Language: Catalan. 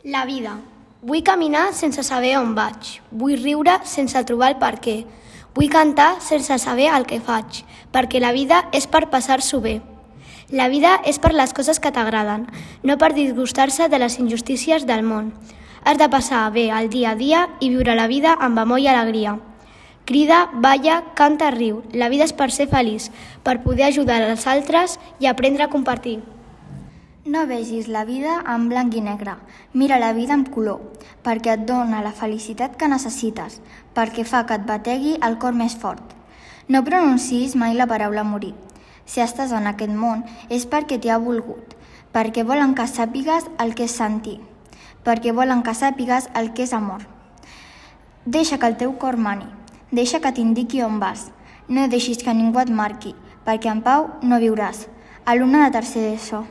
La vida. Vull caminar sense saber on vaig. Vull riure sense trobar el per què. Vull cantar sense saber el que faig, perquè la vida és per passar-s'ho bé. La vida és per les coses que t'agraden, no per disgustar-se de les injustícies del món. Has de passar bé el dia a dia i viure la vida amb amor i alegria. Crida, balla, canta, riu. La vida és per ser feliç, per poder ajudar els altres i aprendre a compartir. No vegis la vida en blanc i negre, mira la vida amb color, perquè et dona la felicitat que necessites, perquè fa que et bategui el cor més fort. No pronuncis mai la paraula morir. Si estàs en aquest món és perquè t'hi ha volgut, perquè volen que sàpigues el que és sentir, perquè volen que sàpigues el que és amor. Deixa que el teu cor mani, deixa que t'indiqui on vas, no deixis que ningú et marqui, perquè en pau no viuràs. Alumne de tercer d'ESO.